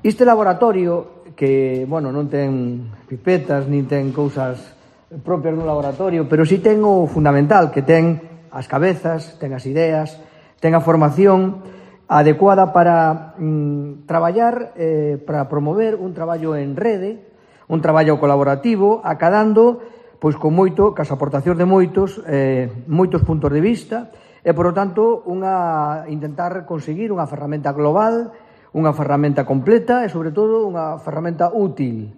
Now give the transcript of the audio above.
Este laboratorio, que, bueno, non ten pipetas, nin ten cousas propias dun laboratorio, pero si ten o fundamental, que ten as cabezas, ten as ideas, ten a formación adecuada para traballar, para promover un traballo en rede, un traballo colaborativo, acadando, pois con cas aportacións de moitos puntos de vista, e, por lo tanto, intentar conseguir unha ferramenta global, unha ferramenta completa e, sobre todo, unha ferramenta útil.